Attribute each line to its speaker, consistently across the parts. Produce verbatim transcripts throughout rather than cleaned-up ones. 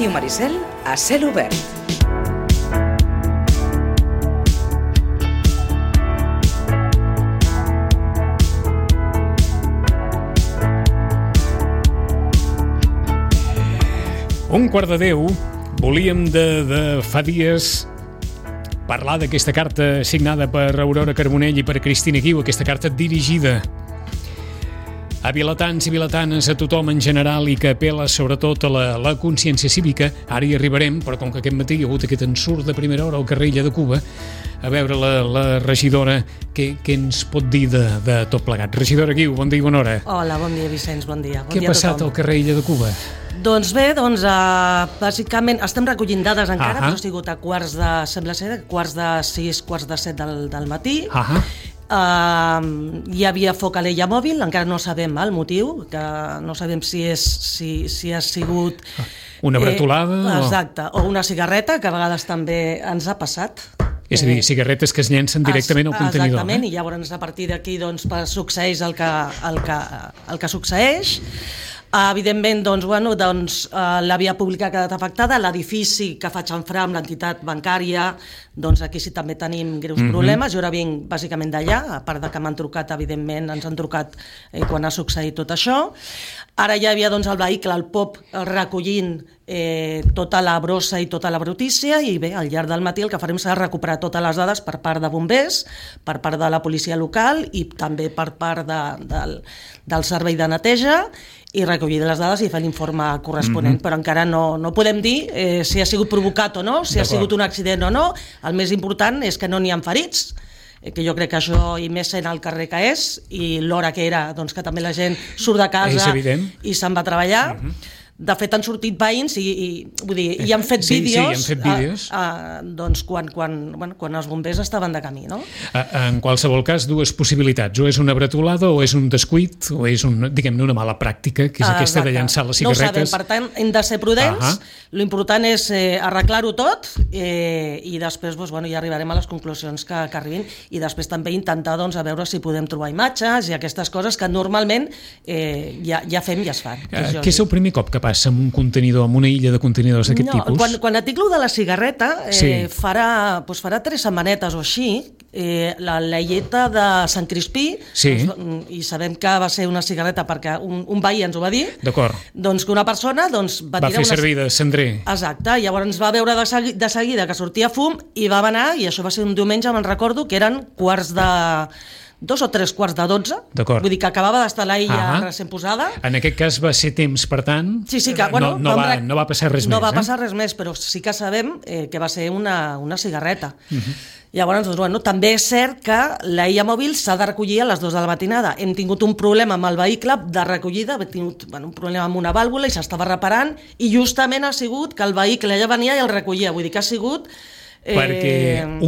Speaker 1: Ràdio Maricel a cel obert.
Speaker 2: Un quart de deu, volíem de, de fa dies parlar d'aquesta carta signada per Aurora Carbonell i per Cristina Guiu, aquesta carta dirigida a vilatans i vilatanes, a tothom en general, i que apela sobretot a la, la consciència cívica. Ara hi arribarem, però com que aquest matí hi ha hagut aquest ensurt de primera hora al carrer Illa de Cuba, a veure la, la regidora què, què ens pot dir de, de tot plegat. Regidora Guiu, bon dia i bona hora.
Speaker 3: Hola, bon dia, Vicenç, bon dia. Bon
Speaker 2: Què
Speaker 3: dia
Speaker 2: ha passat al carrer Illa de Cuba?
Speaker 3: Doncs bé, doncs, uh, bàsicament estem recollint dades encara,
Speaker 2: Ahà.
Speaker 3: però ha sigut a quarts de, sembla ser, quarts de sis, quarts de set del, del matí.
Speaker 2: Ahà.
Speaker 3: Uh, hi havia foc a l'Ella mòbil, encara no sabem el motiu, que no sabem si, és, si, si ha sigut...
Speaker 2: Una bretolada?
Speaker 3: Eh, exacte, o... o una cigarreta, que a vegades també ens ha passat.
Speaker 2: És a dir, cigarretes que es llencen directament al contenidor.
Speaker 3: Exactament,
Speaker 2: eh?
Speaker 3: i llavors a partir d'aquí doncs, succeeix el que, el que, el que succeeix. Uh, evidentment, doncs, bueno, doncs, uh, la via pública ha quedat afectada, l'edifici que fa xamfrà amb l'entitat bancària, doncs aquí sí també tenim greus mm-hmm. problemes. Jo ara vinc bàsicament d'allà, a part de que m'han trucat, evidentment, ens han trucat eh, quan ha succeït tot això. Ara ja hi havia doncs, el vehicle, el P O P, recollint eh, tota la brossa i tota la brutícia, i bé, al llarg del matí el que farem serà recuperar totes les dades per part de bombers, per part de la policia local i també per part de, del, del servei de neteja, i recollir les dades i fer l'informe corresponent, mm-hmm. però encara no, no podem dir eh, si ha sigut provocat o no, si ha sigut un accident o no. El més important és que no n'hi ha ferits, eh, que jo crec que això, i més sent al carrer que és, i l'hora que era, doncs que també la gent surt de casa i se'n va a treballar. Mm-hmm. De fet, han sortit veïns i, i, vull dir, i han fet
Speaker 2: sí,
Speaker 3: vídeos,
Speaker 2: sí, han fet vídeos.
Speaker 3: A, a, doncs quan, quan, bueno, quan els bombers estaven de camí, no?
Speaker 2: En qualsevol cas, dues possibilitats. O és una bretolada, o és un descuit, o és un, diguem-ne, una mala pràctica, que és aquesta de llançar les cigarretes.
Speaker 3: No ho sabem, per tant, hem de ser prudents. Uh-huh. L'important és eh, arreglar-ho tot eh, i després doncs, bueno, ja arribarem a les conclusions que, que arribin, i després també intentar doncs, a veure si podem trobar imatges i aquestes coses que normalment eh, ja, ja fem i es fan.
Speaker 2: Uh, què és el primer cop que passa amb un contenidor, amb una illa de contenidors d'aquest
Speaker 3: no,
Speaker 2: tipus?
Speaker 3: Quan, quan et dic lo de la cigarreta, eh,
Speaker 2: sí.
Speaker 3: farà, doncs farà tres setmanetes o així, eh, la Lleieta de Sant Crispí,
Speaker 2: sí.
Speaker 3: doncs, i sabem que va ser una cigarreta perquè un, un veí ens ho va dir,
Speaker 2: d'acord.
Speaker 3: Doncs que una persona doncs, va,
Speaker 2: va
Speaker 3: tirar
Speaker 2: fer
Speaker 3: una...
Speaker 2: servir de cendrer.
Speaker 3: Exacte, llavors ens va veure de, segui, de seguida que sortia fum i va anar, i això va ser un diumenge, me'n recordo, que eren quarts de... dos o tres quarts de dotze,
Speaker 2: d'acord.
Speaker 3: Vull dir que acabava d'estar la illa
Speaker 2: ah,
Speaker 3: recent posada.
Speaker 2: En aquest cas va ser temps, per tant,
Speaker 3: sí, sí, que, bueno,
Speaker 2: no, no, va, no va passar res
Speaker 3: no
Speaker 2: més.
Speaker 3: No va
Speaker 2: eh?
Speaker 3: passar res més, però sí que sabem eh, que va ser una, una cigarreta.
Speaker 2: Uh-huh.
Speaker 3: Llavors, doncs, bueno, també és cert que la illa mòbil s'ha de recollir a les dues de la matinada. Hem tingut un problema amb el vehicle de recollida, hem tingut bueno, un problema amb una vàlvula i s'estava reparant, i justament ha sigut que el vehicle ja venia i el recollia. Vull dir que ha sigut...
Speaker 2: Eh... Perquè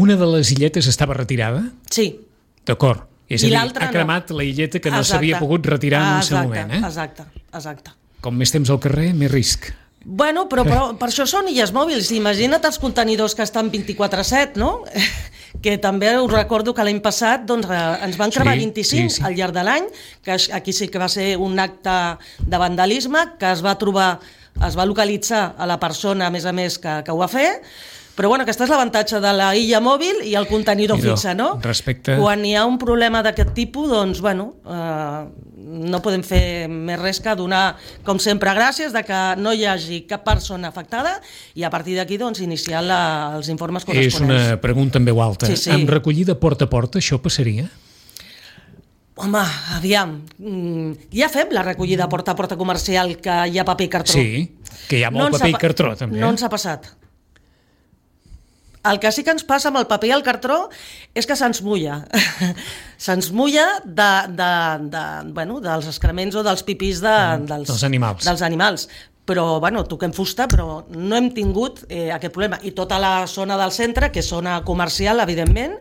Speaker 2: una de les illetes estava retirada?
Speaker 3: Sí.
Speaker 2: D'acord. És a dir, ha cremat
Speaker 3: no.
Speaker 2: la illeta que no s'havia pogut retirar en un seu moment. Eh?
Speaker 3: Exacte, exacte.
Speaker 2: Com més temps al carrer, més risc.
Speaker 3: Bueno, però, però per això són illes mòbils. Imagina't els contenidors que estan vint-i-quatre set, no? Que també us recordo que l'any passat doncs, ens van cremar sí, vint-i-cinc sí, sí. al llarg de l'any, que aquí sí que va ser un acte de vandalisme, que es va trobar, es va localitzar a la persona, a més a més, que, que ho va fer. Però bueno, aquest és l'avantatge de la illa mòbil i el contenidor
Speaker 2: Idò,
Speaker 3: fixe, no?
Speaker 2: Respecte...
Speaker 3: Quan hi ha un problema d'aquest tipus, doncs, bueno, eh, no podem fer més res que donar, com sempre, gràcies de que no hi hagi cap persona afectada i a partir d'aquí, doncs, iniciar la, els informes corresponents.
Speaker 2: És una pregunta en veu alta.
Speaker 3: Sí, sí.
Speaker 2: Amb recollida porta a porta, això passaria?
Speaker 3: Home, aviam, ja fem la recollida porta a porta comercial, que hi ha paper i cartró.
Speaker 2: Sí, que hi ha molt
Speaker 3: no
Speaker 2: paper i cartró, també.
Speaker 3: No ens ha passat. El que sí que ens passa amb el paper i el cartró és que se'ns mulla. Se'ns mulla de, de, de, bueno, dels excrements o dels pipís de, dels,
Speaker 2: dels animals.
Speaker 3: Dels animals. Però, bueno, toquem fusta, però no hem tingut eh, aquest problema. I tota la zona del centre, que és zona comercial, evidentment,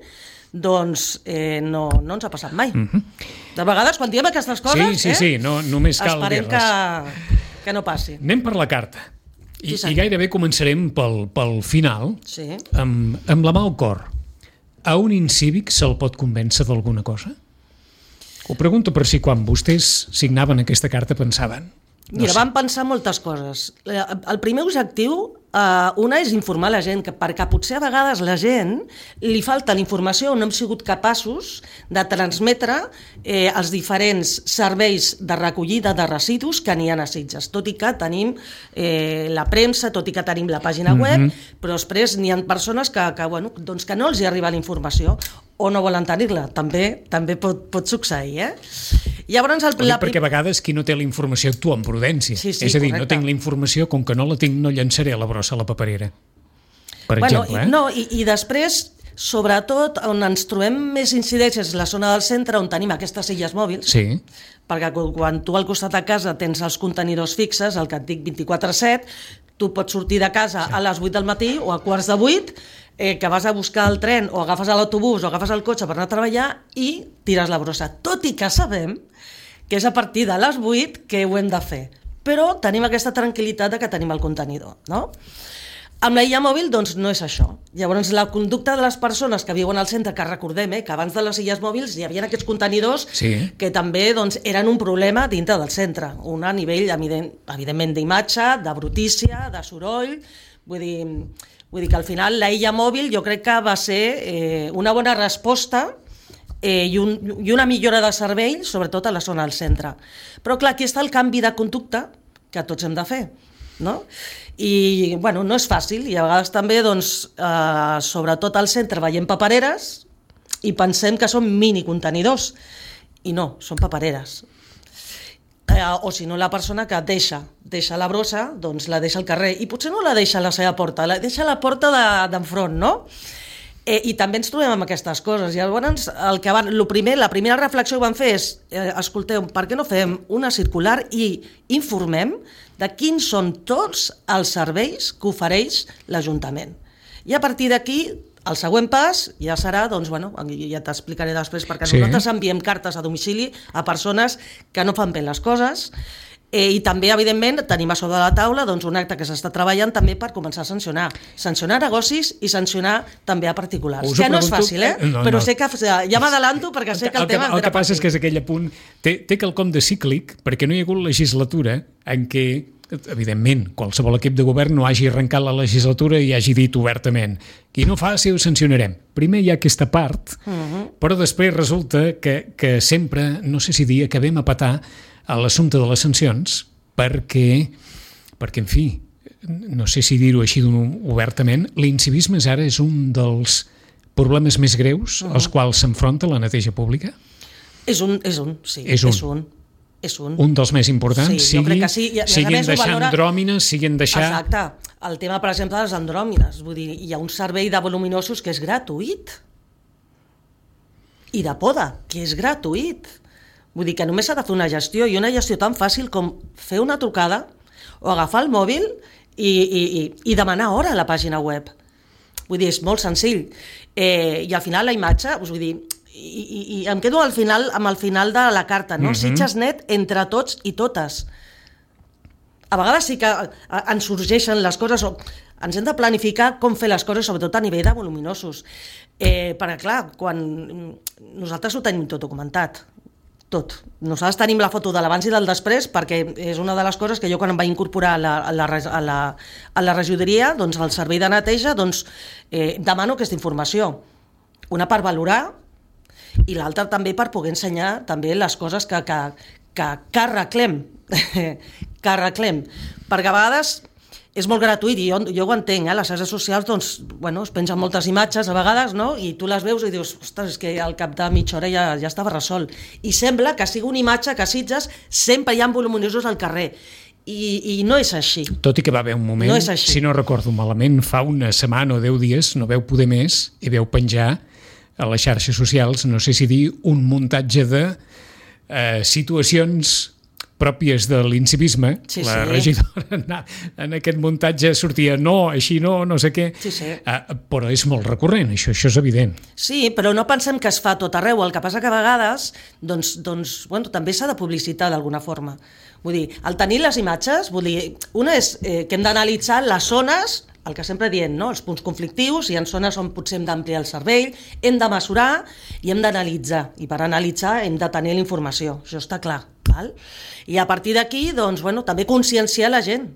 Speaker 3: doncs eh, no, no ens ha passat mai. Mm-hmm. De vegades, quan diem aquestes coses,
Speaker 2: sí, sí,
Speaker 3: eh,
Speaker 2: sí, no, només cal
Speaker 3: esperem
Speaker 2: dir-les.
Speaker 3: Que, que no passi.
Speaker 2: Anem per la carta. I,
Speaker 3: sí,
Speaker 2: i gairebé començarem pel, pel final,
Speaker 3: sí.
Speaker 2: amb, amb la mà al cor. A un incívic se'l pot convèncer d'alguna cosa? Ho pregunto per si quan vostès signaven aquesta carta pensaven No
Speaker 3: Mira,
Speaker 2: sé.
Speaker 3: vam pensar moltes coses. El primer objectiu, uh, una és informar la gent, que perquè potser a vegades la gent li falta la informació o no hem sigut capaços de transmetre eh, els diferents serveis de recollida de residus que n'hi ha a Sitges. Tot i que tenim eh, la premsa, tot i que tenim la pàgina web, mm-hmm. però després n'hi ha persones que, que, bueno, doncs que no els hi arriba la informació o no volen tenir-la. També també pot, pot succeir, eh? Llavors, el,
Speaker 2: la... perquè a vegades qui no té la informació actua amb prudència.
Speaker 3: Sí, sí,
Speaker 2: és a dir,
Speaker 3: correcte.
Speaker 2: no tinc la informació, com que no la tinc, no llançaré la brossa a la paperera. Per
Speaker 3: bueno,
Speaker 2: exemple, eh?
Speaker 3: I, no, i, i després, sobretot, on ens trobem més incidències és la zona del centre, on tenim aquestes illes mòbils,
Speaker 2: sí.
Speaker 3: perquè quan tu al costat de casa tens els contenidors fixes, el que et dic vint-i-quatre set, tu pots sortir de casa sí. a les vuit del matí o a quarts de vuit, eh, que vas a buscar el tren o agafes l'autobús o agafes el cotxe per anar a treballar i tires la brossa. Tot i que sabem que és a partir de les vuit que ho hem de fer. Però tenim aquesta tranquil·litat de que tenim el contenidor, no? Amb la illa mòbil, doncs, no és això. Llavors, la conducta de les persones que viuen al centre, que recordem eh, que abans de les illes mòbils hi havia aquests contenidors
Speaker 2: sí.
Speaker 3: que també doncs, eren un problema dintre del centre. Un a nivell, evident, evidentment, d'imatge, de brutícia, de soroll. Vull dir, vull dir que al final la illa mòbil jo crec que va ser eh, una bona resposta Eh, i, un, i una millora de servei, sobretot a la zona del centre. Però clar, aquí està el canvi de conducta que tots hem de fer, no? I, bueno, no és fàcil, i a vegades també, doncs, eh, sobretot al centre veiem papereres i pensem que són mini contenidors, i no, són papereres. Eh, o si no, la persona que deixa, deixa la brossa, doncs la deixa al carrer, i potser no la deixa a la seva porta, la deixa a la porta d'enfront, no? Eh, I també ens trobem amb aquestes coses. Llavors, el que van, lo primer, la primera reflexió que vam fer és, eh, escolteu, per què no fem una circular i informem de quins són tots els serveis que ofereix l'Ajuntament? I a partir d'aquí, el següent pas ja serà, doncs, bueno, ja t'explicaré després, perquè sí. nosaltres enviem cartes a domicili a persones que no fan bé les coses, Eh, I també, evidentment, tenim a sobre de la taula doncs, un acte que s'està treballant també per començar a sancionar. Sancionar negocis i sancionar també a particulars.
Speaker 2: Us
Speaker 3: que
Speaker 2: pregunto...
Speaker 3: no és fàcil, eh?
Speaker 2: No,
Speaker 3: Però
Speaker 2: no.
Speaker 3: sé que ja m'adalanto perquè sé que el,
Speaker 2: el
Speaker 3: tema...
Speaker 2: Que, el que passa és que és aquell apunt... Té, té quelcom de cíclic, perquè no hi ha hagut legislatura en què, evidentment, qualsevol equip de govern no hagi arrencat la legislatura i hagi dit obertament qui no faci ho sancionarem. Primer hi ha aquesta part, uh-huh. però després resulta que, que sempre, no sé si dir, acabem a petar a l'assumpte de les sancions perquè, perquè, en fi, no sé si dir-ho així obertament, l'incivisme ara és un dels problemes més greus uh-huh. als quals s'enfronta la neteja pública?
Speaker 3: És un, és un, sí,
Speaker 2: és un.
Speaker 3: És un. És un.
Speaker 2: un dels més importants,
Speaker 3: sí,
Speaker 2: sigui,
Speaker 3: sí. I,
Speaker 2: siguin deixar
Speaker 3: valora...
Speaker 2: andròmines, siguin deixar...
Speaker 3: Exacte. El tema, per exemple, de les andròmines. Vull dir, hi ha un servei de voluminosos que és gratuït. I de poda, que és gratuït. Vull dir que només s'ha de fer una gestió, i una gestió tan fàcil com fer una trucada o agafar el mòbil i, i, i, i demanar hora a la pàgina web. Vull dir, és molt senzill. Eh, I al final la imatge, us vull dir, i, i, i em quedo al final amb el final de la carta, no? Mm-hmm. Sitges net entre tots i totes. A vegades sí que ens sorgeixen les coses, o ens hem de planificar com fer les coses, sobretot a nivell de voluminosos. Eh, perquè, clar, quan nosaltres ho tenim tot documentat, tot. Nosaltres tenim la foto de l'abans i del després, perquè és una de les coses que jo quan em vaig incorporar a la, a la, a la, a la regidoria, doncs al servei de neteja, doncs eh, demano aquesta informació. Una per valorar i l'altra també per poder ensenyar també les coses que, que, que, que arreglem, que arreglem. Perquè a vegades és molt gratuït, i jo, jo ho entenc, eh? Les xarxes socials, doncs, bueno, es pengen moltes imatges a vegades, no? I tu les veus i dius, ostres, és que al cap de mitja hora ja, ja estava resolt. I sembla que sigui una imatge que a Sitges sempre hi ha voluminosos al carrer. I, i no és així.
Speaker 2: Tot i que va haver un moment,
Speaker 3: no
Speaker 2: si no recordo malament, fa una setmana o deu dies, no veu poder més i veu penjar a les xarxes socials, no sé si dir, un muntatge de eh, situacions pròpies de l'incivisme.
Speaker 3: Sí,
Speaker 2: la
Speaker 3: sí.
Speaker 2: regidora en aquest muntatge sortia no, així no, no sé què,
Speaker 3: sí, sí.
Speaker 2: Uh, però és molt recurrent, això, això és evident.
Speaker 3: Sí, però no pensem que es fa tot arreu, el que passa que a vegades doncs, doncs, bueno, també s'ha de publicitar d'alguna forma. Vull dir, al tenir les imatges, vull dir, una és eh, que hem d'analitzar les zones, el que sempre diem, no? Els punts conflictius, hi ha zones on potser hem d'ampliar el servei, hem de mesurar i hem d'analitzar, i per analitzar hem de tenir la informació, això està clar. Val? I a partir d'aquí, doncs, bueno, també conscienciar la gent.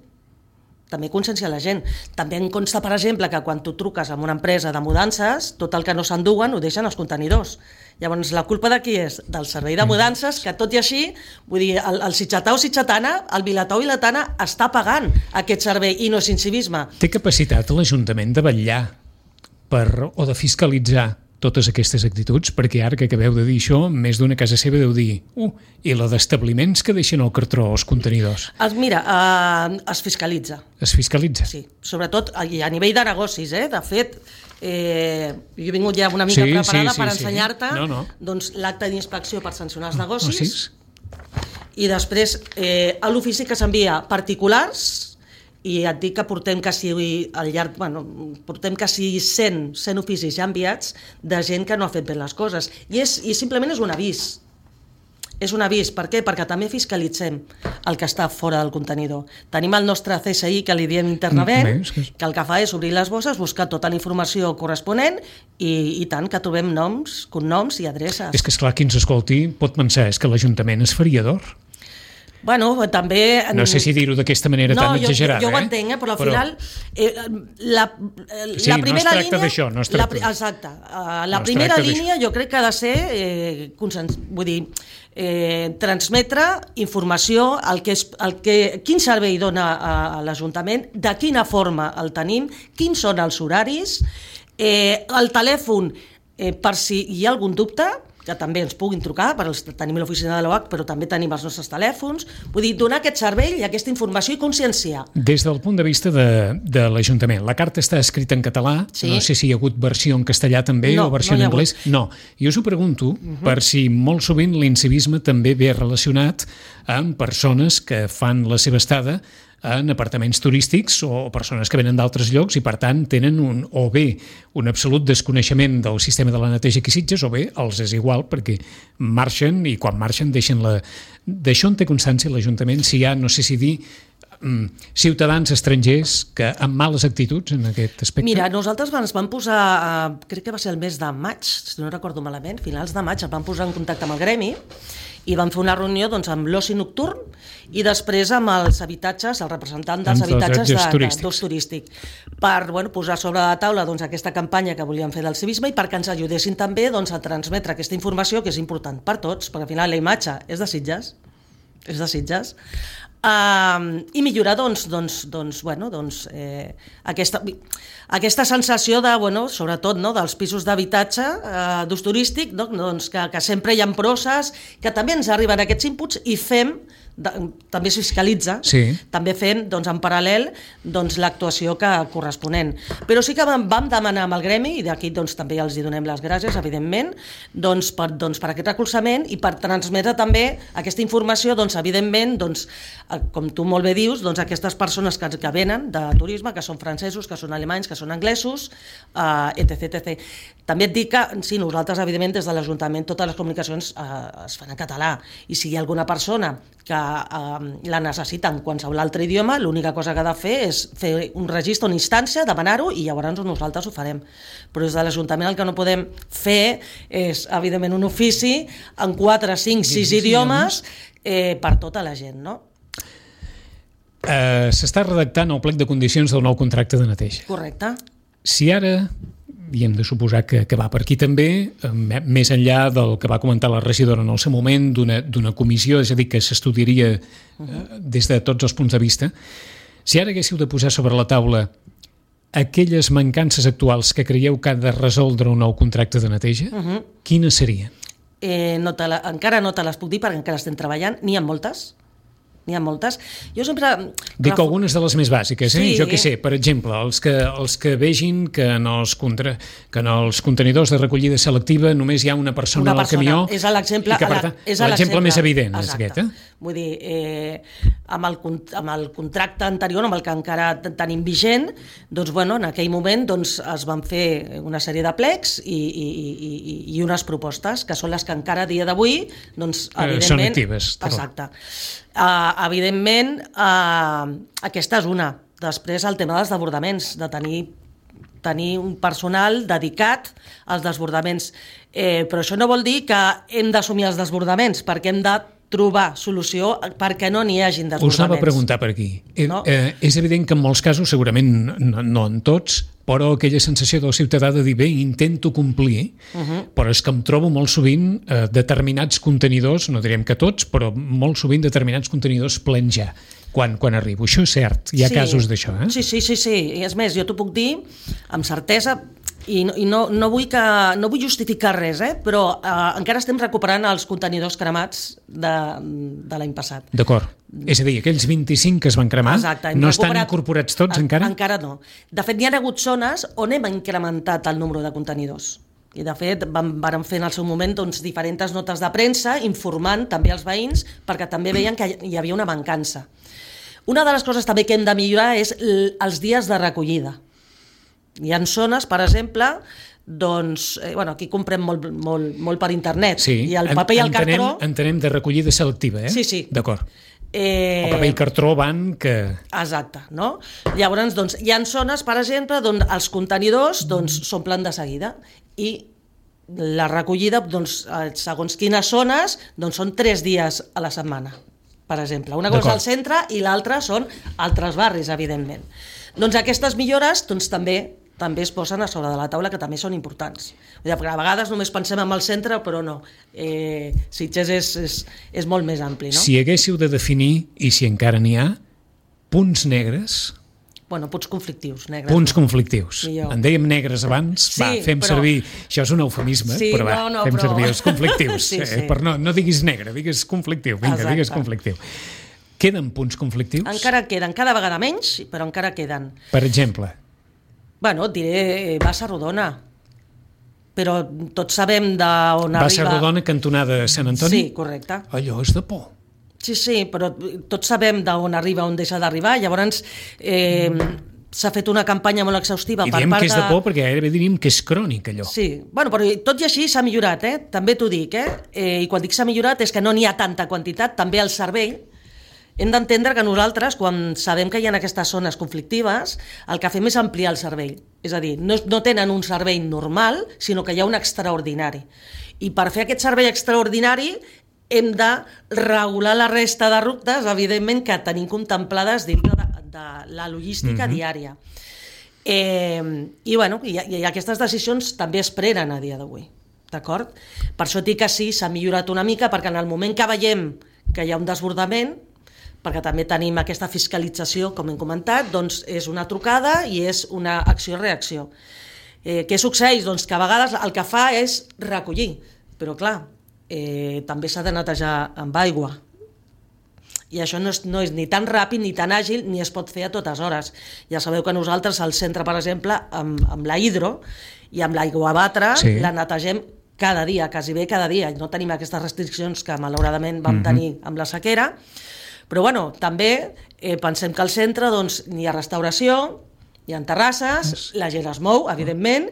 Speaker 3: També conscienciar la gent. També em consta, per exemple, que quan tu truques a una empresa de mudances, tot el que no s'enduguen ho deixen als contenidors. Llavors, la culpa de qui és? Del servei de mudances, que tot i així, vull dir, el, el sitxatà o sitxatana, el vilatà o vilatana està pagant aquest servei i no és incivisme.
Speaker 2: Té capacitat l'Ajuntament de vetllar per, o de fiscalitzar totes aquestes actituds? Perquè ara que acabeu de dir això, més d'una casa seva deu dir uh, i la d'establiments que deixen el cartró als contenidors.
Speaker 3: Es, mira, eh, es fiscalitza.
Speaker 2: Es fiscalitza?
Speaker 3: Sí, sobretot a, a nivell de negocis, eh? De fet, eh, jo he vingut ja una mica
Speaker 2: sí,
Speaker 3: preparada
Speaker 2: sí, sí,
Speaker 3: per
Speaker 2: sí.
Speaker 3: ensenyar-te
Speaker 2: no, no.
Speaker 3: doncs, l'acte d'inspecció per sancionar els
Speaker 2: Oh,
Speaker 3: negocis
Speaker 2: oh,
Speaker 3: i després eh, a l'ofici que s'envia particulars. I et dic que portem quasi al llarg, bueno, portem quasi cent, cent oficis ja enviats de gent que no ha fet bé les coses. I, és, i simplement és un avís. És un avís. Per què? Perquè també fiscalitzem el que està fora del contenidor. Tenim el nostre C S I, que li diem internament,
Speaker 2: que
Speaker 3: el que fa és obrir les bosses, buscar tota la informació corresponent i, i tant que trobem noms, cognoms i adreces.
Speaker 2: És que, esclar, qui ens escolti pot pensar és que l'Ajuntament és feriador.
Speaker 3: Bueno, també...
Speaker 2: No sé si dir-ho d'aquesta manera
Speaker 3: no,
Speaker 2: tan
Speaker 3: jo,
Speaker 2: exagerada.
Speaker 3: Jo, jo ho entenc, eh? Però al
Speaker 2: però...
Speaker 3: final eh, la,
Speaker 2: sí,
Speaker 3: la primera
Speaker 2: no es tracta
Speaker 3: línia...
Speaker 2: d'això, no es tracta.
Speaker 3: La, exacte. Uh, la
Speaker 2: no
Speaker 3: primera línia jo crec que ha de ser eh, consens, vull dir, eh, transmetre informació, el que és, el que, quin servei dona a, a l'Ajuntament, de quina forma el tenim, quins són els horaris, eh, el telèfon, eh, per si hi ha algun dubte, que també ens puguin trucar, per els, tenim l'oficina de l'O H, però també tenim els nostres telèfons. Vull dir, donar aquest servei i aquesta informació i conscienciar.
Speaker 2: Des del punt de vista de, de l'Ajuntament, la carta està escrita en català,
Speaker 3: sí.
Speaker 2: No sé si hi ha hagut versió en castellà també
Speaker 3: no,
Speaker 2: o versió
Speaker 3: no
Speaker 2: en anglès. No, jo us ho pregunto uh -huh. per si molt sovint l'incivisme també ve relacionat amb persones que fan la seva estada en apartaments turístics o persones que venen d'altres llocs i, per tant, tenen un, o bé un absolut desconeixement del sistema de la neteja aquí a Sitges o bé els és igual perquè marxen i quan marxen deixen la... D'això en té constància l'Ajuntament si hi ha, no sé si dir, ciutadans estrangers que amb males actituds en aquest aspecte?
Speaker 3: Mira, nosaltres ens vam posar, crec que va ser el mes de maig, si no recordo malament, finals de maig, ens vam posar en contacte amb el gremi i vam fer una reunió doncs, amb l'oci nocturn i després amb els habitatges, el representant dels habitatges de, de, d'ús turístic, per bueno, posar sobre la taula doncs, aquesta campanya que volíem fer del civisme i perquè ens ajudessin també doncs, a transmetre aquesta informació que és important per tots, perquè al final la imatge és de Sitges, és de Sitges, Uh, i millorar doncs, doncs, doncs, bueno, doncs, eh, aquesta, aquesta sensació de, bueno, sobretot no, dels pisos d'habitatge uh, d'ús turístic, no, doncs, que, que sempre hi ha processos, que també ens arriben aquests inputs i fem, de, també es fiscalitza,
Speaker 2: sí.
Speaker 3: també fem doncs, en paral·lel doncs, l'actuació que corresponent. Però sí que vam, vam demanar amb el gremi, i d'aquí doncs, també els hi donem les gràcies, evidentment, doncs, per, doncs, per aquest recolzament i per transmetre també aquesta informació, doncs, evidentment, doncs, com tu molt bé dius, doncs, aquestes persones que, que venen de turisme, que són francesos, que són alemanys, que són anglesos, uh, etc, etcètera. També et dic que, sí, nosaltres, evidentment, des de l'Ajuntament, totes les comunicacions uh, es fan en català, i si hi ha alguna persona que uh, la necessita en qualsevol altre idioma, l'única cosa que ha de fer és fer un registre, una instància, demanar-ho, i llavors nosaltres ho farem. Però des de l'Ajuntament el que no podem fer és, evidentment, un ofici en quatre, cinc, sis idiomes eh, per tota la gent, no?
Speaker 2: Uh, s'està redactant el plec de condicions del nou contracte de neteja.
Speaker 3: Correcte.
Speaker 2: Si ara, i hem de suposar que, que va per aquí també, eh, més enllà del que va comentar la regidora en el seu moment, d'una, d'una comissió, és a dir, que s'estudiaria eh, des de tots els punts de vista, si ara haguéssiu de posar sobre la taula aquelles mancances actuals que creieu que ha de resoldre un nou contracte de neteja, uh -huh. quines serien?
Speaker 3: Eh, no te la, encara no te les puc dir perquè encara estem treballant, n'hi ha moltes. N'hi ha moltes. Jo sempre...
Speaker 2: Dic algunes de les més bàsiques, eh?
Speaker 3: Sí.
Speaker 2: Jo què sé, per exemple, els que, els que vegin que en els, contra, que en els contenidors de recollida selectiva només hi ha una persona,
Speaker 3: una persona.
Speaker 2: al camió...
Speaker 3: És l'exemple
Speaker 2: l'exemple més evident és aquest, eh?
Speaker 3: Vull dir, eh, amb, el, amb el contracte anterior, amb el que encara tenim vigent, doncs, bueno, en aquell moment doncs, es van fer una sèrie de plecs i, i, i, i unes propostes, que són les que encara a dia d'avui, doncs, evidentment...
Speaker 2: Eh, són actives.
Speaker 3: Exacte. Uh, evidentment, uh, aquesta és una. Després, el tema dels desbordaments, de tenir, tenir un personal dedicat als desbordaments. Eh, però això no vol dir que hem d'assumir els desbordaments, perquè hem de trobar solució perquè no n'hi hagin desbordaments.
Speaker 2: Us anava a preguntar per aquí. No? Eh, és evident que en molts casos, segurament no, no en tots, però aquella sensació del ciutadà de dir, bé, intento complir, uh -huh. però és que em trobo molt sovint eh, determinats contenidors, no direm que tots, però molt sovint determinats contenidors plens ja, quan, quan arribo. Això és cert, hi ha
Speaker 3: sí.
Speaker 2: casos d'això, eh?
Speaker 3: Sí, sí, sí, sí. I és més, jo t'ho puc dir amb certesa, i no, i no, no, vull, que, no vull justificar res, eh? Però eh, encara estem recuperant els contenidors cremats de, de l'any passat.
Speaker 2: D'acord. És a dir, aquells vint-i-cinc que es van cremar,
Speaker 3: exacte,
Speaker 2: no estan incorporats tots
Speaker 3: en,
Speaker 2: encara?
Speaker 3: Encara no. De fet, hi ha hagut zones on hem incrementat el número de contenidors. I de fet vam, vam fer en el seu moment doncs, diferents notes de premsa informant també els veïns perquè també veien que hi havia una mancança. Una de les coses també que hem de millorar és els dies de recollida. Hi ha zones, per exemple, doncs, eh, bueno, aquí comprem molt, molt, molt per internet,
Speaker 2: sí,
Speaker 3: i el paper i el
Speaker 2: entenem,
Speaker 3: cartró...
Speaker 2: Entenem de recollida selectiva, eh?
Speaker 3: Sí, sí.
Speaker 2: D'acord.
Speaker 3: Eh...
Speaker 2: El paper i el cartró van que...
Speaker 3: Exacte, no? Llavors, doncs, hi ha zones, per exemple, on els contenidors doncs, s'omplen de seguida i la recollida, doncs, segons quines zones, doncs, són tres dies a la setmana, per exemple. Una cosa és al centre i l'altra són altres barris, evidentment. Doncs aquestes millores doncs, també també es posen a sobre de la taula, que també són importants. A vegades només pensem en el centre, però no. Eh, Sitges és, és, és molt més ampli, no?
Speaker 2: Si haguéssiu de definir, i si encara n'hi ha, punts negres...
Speaker 3: Bueno, punts conflictius, negres.
Speaker 2: Punts conflictius.
Speaker 3: Millor.
Speaker 2: En dèiem negres abans,
Speaker 3: sí,
Speaker 2: va, fem
Speaker 3: però...
Speaker 2: servir... Això és un eufemisme,
Speaker 3: sí,
Speaker 2: però va,
Speaker 3: no, no,
Speaker 2: fem
Speaker 3: però...
Speaker 2: servir els conflictius.
Speaker 3: sí, sí.
Speaker 2: Eh, per no, no diguis negre, digues conflictiu. Vinga,
Speaker 3: exacte.
Speaker 2: digues conflictiu. Queden punts conflictius?
Speaker 3: Encara queden, cada vegada menys, però encara queden.
Speaker 2: Per exemple...
Speaker 3: Bueno, et diré Bassa Rodona, però tots sabem d'on arriba...
Speaker 2: Bassa Rodona, cantonada Sant Antoni?
Speaker 3: Sí, correcte.
Speaker 2: Allò és de por.
Speaker 3: Sí, sí, però tots sabem d'on arriba, on deixa d'arribar, llavors eh, s'ha fet una campanya molt exhaustiva.
Speaker 2: I
Speaker 3: per
Speaker 2: diem
Speaker 3: part
Speaker 2: que és de
Speaker 3: de...
Speaker 2: por perquè gairebé diríem que és crònic, allò.
Speaker 3: Sí, bueno, però tot i així s'ha millorat, eh? També t'ho dic, eh? eh? I quan dic s'ha millorat és que no n'hi ha tanta quantitat, també el servei. Hem d'entendre que nosaltres, quan sabem que hi ha aquestes zones conflictives, el que fem és ampliar el servei. És a dir, no, no tenen un servei normal, sinó que hi ha un extraordinari. I per fer aquest servei extraordinari hem de regular la resta de rutes, evidentment, que tenim contemplades dintre de, de la logística mm-hmm. diària. Eh, I, bueno, i, i aquestes decisions també es prenen a dia d'avui. D'acord? Per això dic que sí, s'ha millorat una mica, perquè en el moment que veiem que hi ha un desbordament, perquè també tenim aquesta fiscalització, com hem comentat, doncs és una trucada i és una acció-reacció. Eh, què succeeix? Doncs que a vegades el que fa és recollir, però clar, eh, també s'ha de netejar amb aigua. I això no és, no és ni tan ràpid ni tan àgil, ni es pot fer a totes hores. Ja sabeu que nosaltres al centre, per exemple, amb, amb la hidro i amb l'aigua a batre, sí. la netegem cada dia, quasi bé cada dia. No tenim aquestes restriccions que malauradament vam mm-hmm. tenir amb la sequera. Però bueno, també eh, pensem que al centre doncs, hi ha restauració, hi ha terrasses, la gent es mou, evidentment,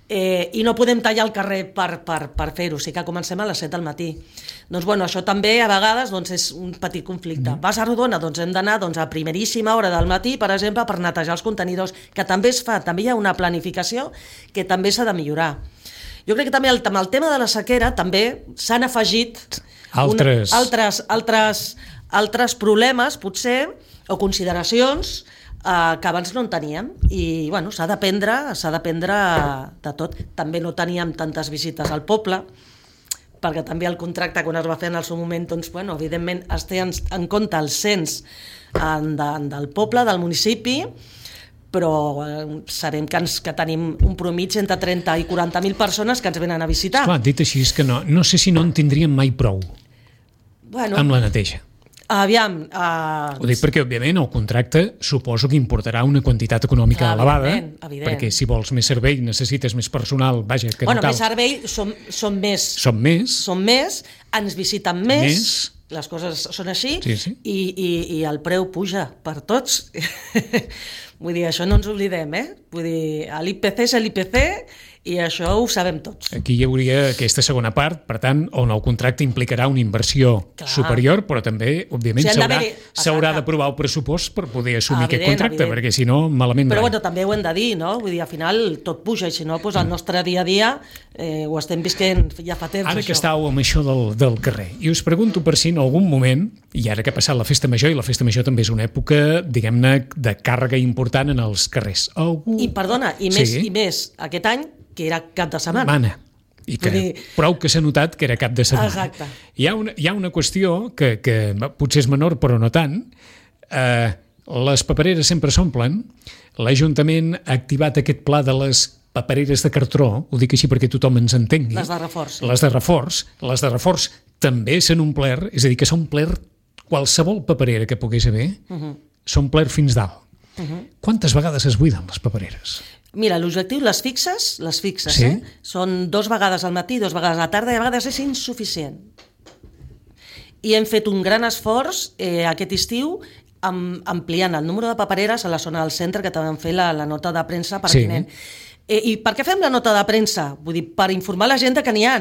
Speaker 3: eh, i no podem tallar el carrer per, per, per fer-ho, sí que comencem a les set del matí. Doncs bueno, això també a vegades doncs, és un petit conflicte. Mm. Bassa Rodona, doncs hem d'anar doncs, a primeríssima hora del matí, per exemple, per netejar els contenidors, que també es fa, també hi ha una planificació que també s'ha de millorar. Jo crec que també el, amb el tema de la sequera també s'han afegit
Speaker 2: altres...
Speaker 3: Un, altres, altres altres problemes, potser, o consideracions eh, que abans no en teníem. I, bueno, s'ha d'aprendre, s'ha d'aprendre de tot. També no teníem tantes visites al poble, perquè també el contracte, quan es va fer en el seu moment, doncs, bueno, evidentment, es té en, en compte el cens en, de, del poble, del municipi, però eh, sabem que, ens, que tenim un promig entre trenta i quaranta mil persones que ens venen a visitar.
Speaker 2: Esclar, dit així, és que no, no sé si no en tindríem mai prou
Speaker 3: bueno,
Speaker 2: amb la neteja.
Speaker 3: Aviam... Uh...
Speaker 2: Ho dic perquè, òbviament, el contracte suposo que importarà una quantitat econòmica
Speaker 3: Clar,
Speaker 2: elevada,
Speaker 3: evident, evident.
Speaker 2: perquè si vols més servei necessites més personal, vaja, que
Speaker 3: bueno,
Speaker 2: no cal.
Speaker 3: Més servei, som, som més.
Speaker 2: Som més.
Speaker 3: Som més, ens visiten més,
Speaker 2: més.
Speaker 3: Les coses són així,
Speaker 2: sí, sí.
Speaker 3: I, i, i el preu puja per tots. Vull dir, això no ens oblidem, eh? Vull dir, l'I P C és l'I P C I això ho sabem tots.
Speaker 2: Aquí hi hauria aquesta segona part, per tant, on el contracte implicarà una inversió Clar. superior, però també, òbviament,
Speaker 3: O sigui, han
Speaker 2: s'haurà
Speaker 3: d'haver-hi-
Speaker 2: d'aprovar el pressupost per poder assumir
Speaker 3: Evident,
Speaker 2: aquest contracte,
Speaker 3: evident.
Speaker 2: perquè si no, malament
Speaker 3: Però
Speaker 2: rai.
Speaker 3: bueno, també ho hem de dir, no? Vull dir, al final tot puja, i si no, doncs el nostre dia a dia eh, ho estem visquent ja fa temps,
Speaker 2: Ara
Speaker 3: això.
Speaker 2: que estàveu amb això del, del carrer, i us pregunto per si en algun moment, i ara que ha passat la festa major, i la festa major també és una època, diguem-ne, de càrrega important en els carrers. Algú...
Speaker 3: I perdona, i més,
Speaker 2: Sí.
Speaker 3: i més aquest any, que era cap de setmana.
Speaker 2: Mana. I que
Speaker 3: Vull dir-
Speaker 2: prou que s'ha notat que era cap de setmana.
Speaker 3: Exacte.
Speaker 2: Hi ha una, hi ha una qüestió que, que potser és menor, però no tant. Eh, les papereres sempre s'omplen. L'Ajuntament ha activat aquest pla de les papereres de cartró, ho dic així perquè tothom ens entengui.
Speaker 3: Les de reforç.
Speaker 2: Les de reforç. Les de reforç també s'han omplert, és a dir, que s'ha omplert qualsevol paperera que pogués haver, uh -huh. s'ha omplert fins dalt. Uh -huh. Quantes vegades es buiden les papereres?
Speaker 3: Mira, l'objectiu, les fixes, les fixes,
Speaker 2: Sí.
Speaker 3: eh? Són dos vegades al matí, dos vegades a la tarda, i a vegades és insuficient. I hem fet un gran esforç eh, aquest estiu amb, ampliant el número de papereres a la zona del centre, que també vam fer la, la nota de premsa pertinent. Sí. Eh, I per què fem la nota de premsa? Vull dir, per informar la gent que n'hi ha.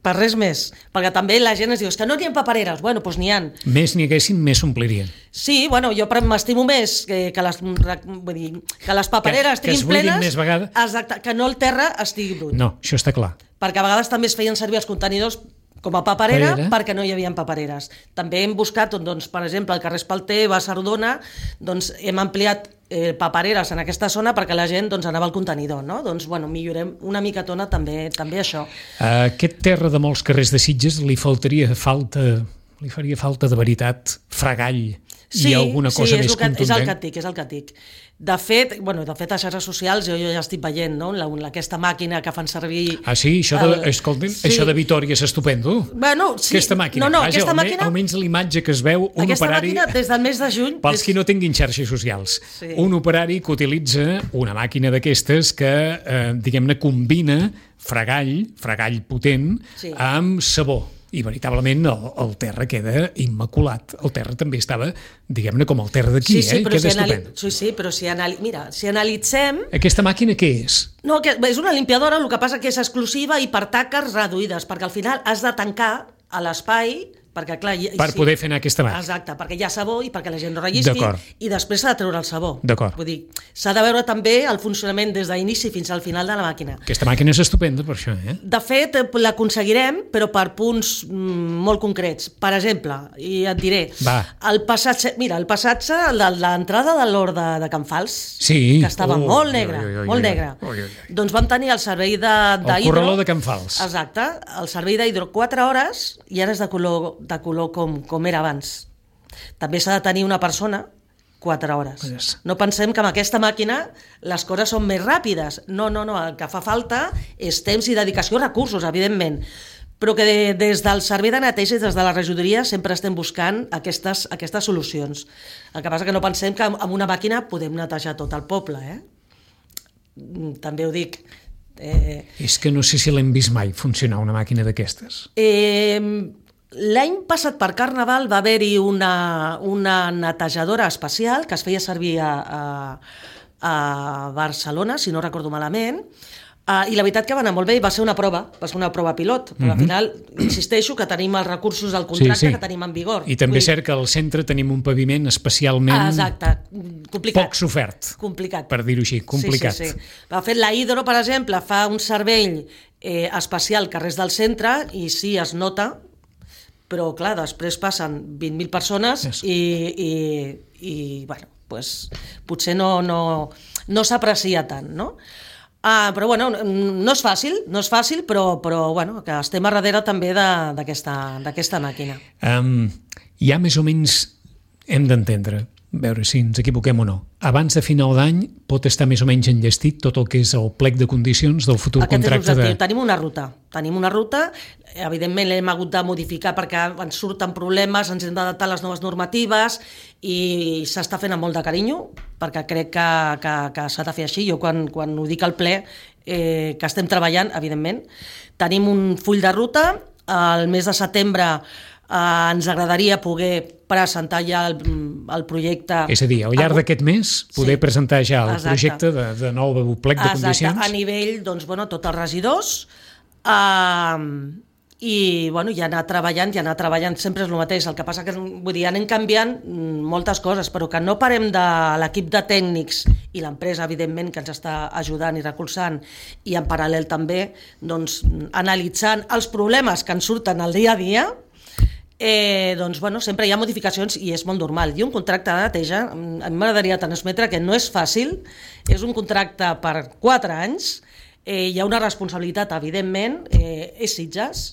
Speaker 3: Per res més. Perquè també la gent es diu, és que no n'hi ha papereres. Bueno, doncs n'hi ha.
Speaker 2: Més n'hi haguessin, més s'omplirien.
Speaker 3: Sí, bueno, jo m'estimo més que, que, les, vull dir, que les papereres
Speaker 2: Que- que es
Speaker 3: estiguin
Speaker 2: buidin
Speaker 3: plenes,
Speaker 2: més vegades.
Speaker 3: exacte, que no el terra estigui brut.
Speaker 2: No, això està clar.
Speaker 3: Perquè a vegades també es feien servir els contenidors com a paperera,
Speaker 2: Paperera.
Speaker 3: perquè no hi havia papereres. També hem buscat, doncs, per exemple, al carrer Espalter, Basardona, doncs hem ampliat eh, papereres en aquesta zona perquè la gent doncs, anava al contenidor, no? Doncs, bueno, millorem una micatona també, també això.
Speaker 2: A aquest terra de molts carrers de Sitges li faltaria falta, li faria falta de veritat fregall
Speaker 3: Sí,
Speaker 2: i alguna cosa
Speaker 3: sí,
Speaker 2: més
Speaker 3: és el que,
Speaker 2: contundent.
Speaker 3: és el que et dic, és el que et dic. De fet, bueno, de fet, a xarxes socials jo, jo ja estic veient, no? La, la, aquesta màquina que fan servir...
Speaker 2: Ah, sí? Això de,
Speaker 3: el-
Speaker 2: escoltin,
Speaker 3: sí.
Speaker 2: això de Vitòria és estupendo.
Speaker 3: Bueno, sí.
Speaker 2: Aquesta màquina.
Speaker 3: No, no,
Speaker 2: Vaja,
Speaker 3: aquesta
Speaker 2: almenys,
Speaker 3: màquina...
Speaker 2: almenys l'imatge que es veu, un
Speaker 3: aquesta
Speaker 2: operari...
Speaker 3: màquina, des del mes de juny...
Speaker 2: Pels
Speaker 3: des-
Speaker 2: qui no tinguin xarxes socials,
Speaker 3: Sí.
Speaker 2: un operari que utilitza una màquina d'aquestes que, eh, diguem-ne, combina fregall, fregall potent,
Speaker 3: Sí.
Speaker 2: amb sabó. I veritablement el, el terra queda immaculat. El terra també estava, diguem-ne, com el terra d'aquí,
Speaker 3: Sí, sí,
Speaker 2: eh?
Speaker 3: però
Speaker 2: Queda
Speaker 3: si, anali...
Speaker 2: estupend.
Speaker 3: sí, sí, però si, anali... Mira, si analitzem...
Speaker 2: Aquesta màquina què és?
Speaker 3: No, que és una limpiadora, el que passa que és exclusiva i per taques reduïdes, perquè al final has de tancar a l'espai, perquè clar... i-
Speaker 2: Per
Speaker 3: sí.
Speaker 2: poder fer anar aquesta màquina.
Speaker 3: Exacte, perquè hi ha sabó i perquè la gent no rellisqui,
Speaker 2: D'acord.
Speaker 3: i després s'ha de treure el sabó.
Speaker 2: D'acord.
Speaker 3: Vull dir, s'ha de veure també el funcionament des d'inici fins al final de la màquina.
Speaker 2: Aquesta màquina és estupenda per això, eh?
Speaker 3: De fet, eh, l'aconseguirem, però per punts mm, molt concrets. Per exemple, i et diré,
Speaker 2: Va.
Speaker 3: el passatge, mira, el passatge de l'entrada de l'Hort de, de Can Fals,
Speaker 2: Sí.
Speaker 3: que estava
Speaker 2: Ui,
Speaker 3: molt
Speaker 2: ui,
Speaker 3: negre,
Speaker 2: ui, ui,
Speaker 3: molt
Speaker 2: ui,
Speaker 3: negre.
Speaker 2: ui, ui, ui.
Speaker 3: Doncs vam tenir el servei de- d'hidro...
Speaker 2: corraló de Can Fals.
Speaker 3: Exacte, el servei d'hidro quatre hores i ara és de color, de color com, com era abans. També s'ha de tenir una persona quatre hores.
Speaker 2: Yes.
Speaker 3: No pensem que amb aquesta màquina les coses són més ràpides. No, no, no, el que fa falta és temps i dedicació, recursos, evidentment. Però que de, des del servei de neteja i des de la regidoria sempre estem buscant aquestes, aquestes solucions. El que passa que no pensem que amb amb una màquina podem netejar tot el poble, eh? Mm, També ho dic. Eh,
Speaker 2: És que no sé si l'hem vist mai funcionar una màquina d'aquestes.
Speaker 3: Eh, L'any passat per Carnaval va haver-hi una, una netejadora especial que es feia servir a, a, a Barcelona, si no recordo malament, uh, i la veritat que va anar molt bé i va ser una prova, va ser una prova pilot, però al final insisteixo que tenim els recursos del contracte
Speaker 2: Sí, sí.
Speaker 3: que tenim en vigor.
Speaker 2: I també
Speaker 3: Vull
Speaker 2: és cert que al centre tenim un paviment especialment
Speaker 3: Ah, exacte, complicat.
Speaker 2: poc sofert,
Speaker 3: Complicat.
Speaker 2: per dir-ho així, complicat.
Speaker 3: Sí, sí, sí. De fet, la Hidro, per exemple, fa un servei eh, especial carrers del centre i sí, es nota, però clar, després passen vint mil persones
Speaker 2: Yes.
Speaker 3: i, i, i bueno, pues, potser no, no, no s'aprecia tant, no? Ah, però bueno, no és fàcil, no és fàcil, però, però bueno, que estem a darrere també de- d'aquesta d'aquesta màquina.
Speaker 2: Um, ja més o menys hem d'entendre, a veure si ens equivoquem o no. Abans de final d'any pot estar més o menys enllestit tot el que és el plec de condicions del futur
Speaker 3: Aquest és
Speaker 2: contracte
Speaker 3: l'objectiu.
Speaker 2: de...
Speaker 3: Tenim una ruta. Tenim una ruta, evidentment l'hem hagut de modificar perquè ens surten problemes, ens hem d'adaptar a les noves normatives i s'està fent amb molt de carinyo perquè crec que, que, que s'ha de fer així. Jo quan, quan ho dic al ple, eh, que estem treballant, evidentment. Tenim un full de ruta, el mes de setembre Uh, ens agradaria poder presentar ja el, el projecte...
Speaker 2: És a dir, al llarg d'aquest mes poder sí. presentar ja el Exacte. projecte de, de nou plec de
Speaker 3: Exacte.
Speaker 2: condicions.
Speaker 3: A nivell, doncs, bueno, tots els regidors, uh, i, bueno, ja anar treballant, ja anar treballant, sempre és el mateix, el que passa que, vull dir, anem canviant moltes coses, però que no parem de l'equip de tècnics i l'empresa, evidentment, que ens està ajudant i recolzant, i en paral·lel també, doncs, analitzant els problemes que ens surten al dia a dia. Eh, doncs, bueno, sempre hi ha modificacions i és molt normal. I un contracte de neteja, a mi m'agradaria transmetre que no és fàcil, és un contracte per quatre anys, eh, hi ha una responsabilitat, evidentment, eh, és Sitges,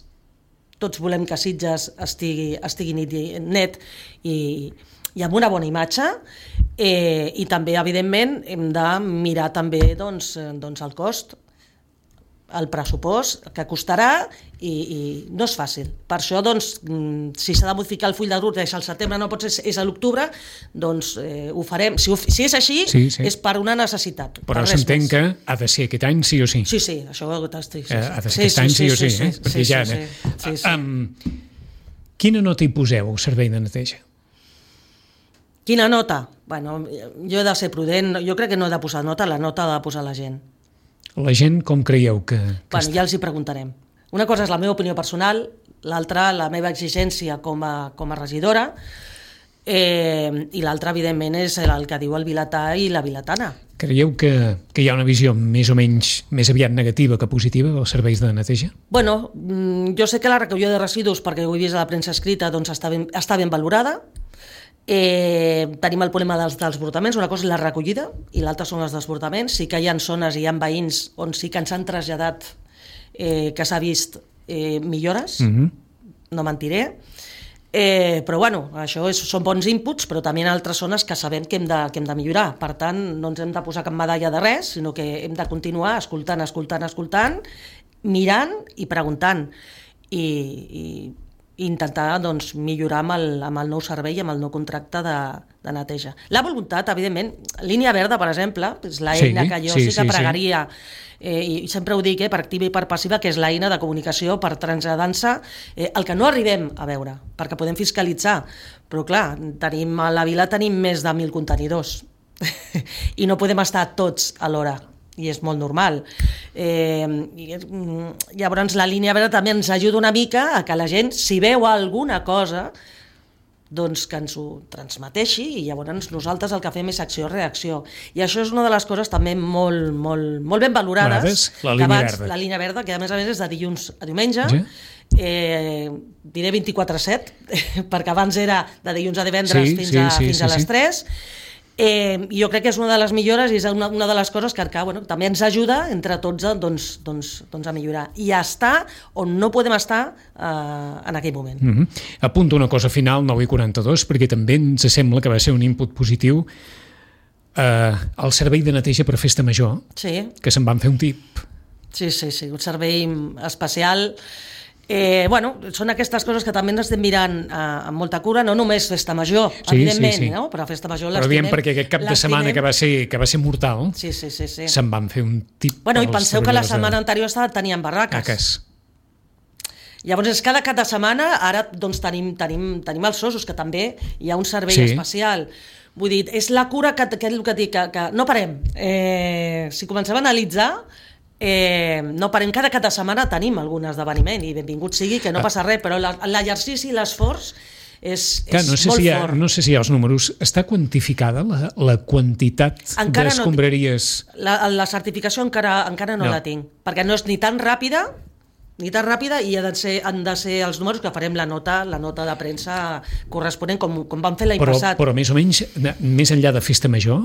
Speaker 3: tots volem que Sitges estigui, estigui net i, i amb una bona imatge, eh, i també, evidentment, hem de mirar també doncs, doncs el cost, el pressupost que costarà i, i no és fàcil. Per això, doncs, si s'ha de modificar el full de ruta, és al setembre, no pot ser, és a l'octubre, doncs eh, ho farem. Si, ho, si és així, sí, sí. és per una necessitat.
Speaker 2: Però s'entén que ha de ser aquest any sí o sí.
Speaker 3: Sí, sí, això ho estic. Sí,
Speaker 2: sí. Ha de ser sí, aquest sí, any sí, sí o sí. sí, sí, eh? sí, sí, ja, sí, sí, sí, sí. Um, quina nota hi poseu al servei de neteja?
Speaker 3: Quina nota? Bueno, jo he de ser prudent, jo crec que no he de posar nota, la nota ha de posar la gent.
Speaker 2: La gent com creieu que, que
Speaker 3: bueno, ja els hi preguntarem. Una cosa és la meva opinió personal, l'altra la meva exigència com a, com a regidora, eh, i l'altra, evidentment, és el que diu el vilatà i la vilatana.
Speaker 2: Creieu que, que hi ha una visió més o menys més aviat negativa que positiva dels serveis de neteja?
Speaker 3: Bueno, jo sé que la recollida de residus, perquè ho he vist a la premsa escrita, doncs està ben, està ben valorada. Eh, tenim el problema dels desbordaments, una cosa és la recollida i l'altra són els desbordaments. Sí que hi ha zones i hi ha veïns on sí que ens han traslladat eh, que s'ha vist eh, millores, mm-hmm. no mentiré, eh, però bueno, això és, són bons inputs, però també hi ha altres zones que sabem que hem, de, que hem de millorar. Per tant, no ens hem de posar cap medalla de res, sinó que hem de continuar escoltant, escoltant, escoltant, mirant i preguntant i, i i intentar doncs, millorar amb el, amb el nou servei i amb el nou contracte de, de neteja. La voluntat, evidentment, línia verda, per exemple, és l'eina sí, que jo sí, sí que sí, pregaria, sí. eh, i sempre ho dic, eh, per activa i per passiva, que és l'eina de comunicació per traslladar-se eh, el que no arribem a veure, perquè podem fiscalitzar. Però clar, tenim, a la vila tenim més de mil contenidors i no podem estar tots alhora. I és molt normal. Eh, i, llavors la línia verda també ens ajuda una mica a que la gent, si veu alguna cosa, doncs que ens ho transmeteixi i llavors nosaltres el que fem és acció-reacció. I això és una de les coses també molt, molt, molt ben valorades.
Speaker 2: La línia
Speaker 3: abans,
Speaker 2: verda.
Speaker 3: La línia verda, que a més a més és de dilluns a diumenge, sí. eh, diré vint-i-quatre set, perquè abans era de dilluns a divendres sí, fins, a, sí, sí, fins a les sí, tres. Eh, jo crec que és una de les millores i és una, una de les coses que, que bueno, també ens ajuda entre tots a, doncs, doncs, doncs a millorar i a estar on no podem estar eh, en aquell moment.
Speaker 2: Mm-hmm. Apunto una cosa final, nou i quaranta-dos, perquè també ens sembla que va ser un input positiu eh, el servei de neteja per festa major,
Speaker 3: sí.
Speaker 2: que se'n van fer un tip.
Speaker 3: Sí, sí, sí, un servei especial. Eh, bueno, són aquestes coses que també ens estem mirant eh, amb molta cura, no només festa major, sí, evidentment, sí, sí. No? Però festa major l'estimem.
Speaker 2: Però diem perquè aquest cap de setmana que va ser, que va ser mortal,
Speaker 3: sí, sí, sí, sí.
Speaker 2: se'n van fer un tip.
Speaker 3: Bueno, i penseu que la setmana anterior tenien barraques.
Speaker 2: Caques.
Speaker 3: Llavors, és cada cap de setmana, ara doncs, tenim, tenim, tenim els ossos, que també hi ha un servei sí. especial. Vull dir, és la cura que, que, que, dic, que, que no parem. Eh, si comencem a analitzar, Eh, no parem, cada cada setmana tenim algun esdeveniment i benvingut sigui, que no passa res, però l'exercici i l'esforç és,
Speaker 2: Clar,
Speaker 3: és
Speaker 2: no sé
Speaker 3: molt
Speaker 2: si ha,
Speaker 3: fort.
Speaker 2: No sé si hi ha els números. Està quantificada la, la quantitat d'escombraries?
Speaker 3: No, la, la certificació encara, encara no, no la tinc, perquè no és ni tan ràpida ni tan ràpida i ha de ser, han de ser els números que farem la nota la nota de premsa corresponent com, com vam fer l'any
Speaker 2: però,
Speaker 3: passat.
Speaker 2: Però més o menys, més enllà de festa major,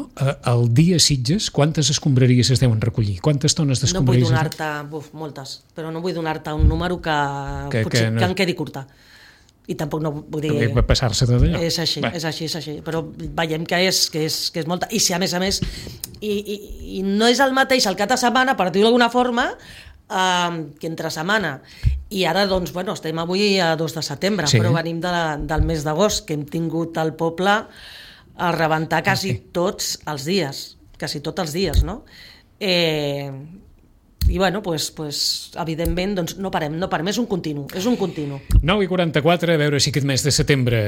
Speaker 2: el dia Sitges, quantes escombraries es deuen recollir? Quantes tones d'escombraries?
Speaker 3: No vull donar-te, buf, moltes, però no vull donar-te un número que, que, potser, que, no... que em quedi curta. I tampoc no vull dir...
Speaker 2: Va passar-se tot allò.
Speaker 3: És així, Va. és així, és així. Però veiem que és, que és, que és molta. I si a més a més... I, i, i no és el mateix el cap de setmana, per dir-ho d'alguna forma, Uh, que entre setmana i ara doncs bueno, estem avui a dos de setembre sí. però venim de la, del mes d'agost que hem tingut al poble a rebentar quasi okay. tots els dies quasi tots els dies no? eh, i bueno, pues, pues, evidentment doncs, no parem, no parem, és un continu, és un continu.
Speaker 2: nou i quaranta-quatre, a veure si aquest mes de setembre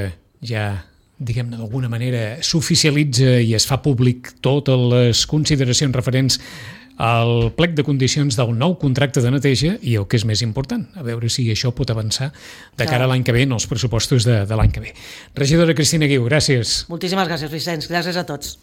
Speaker 2: ja, diguem-ne, d'alguna manera s'oficialitza i es fa públic totes les consideracions referents al plec de condicions del nou contracte de neteja i el que és més important, a veure si això pot avançar de cara a l'any que ve en els pressupostos de, de l'any que ve. Regidora Cristina Guiu, gràcies.
Speaker 3: Moltíssimes gràcies, Vicenç, gràcies a tots.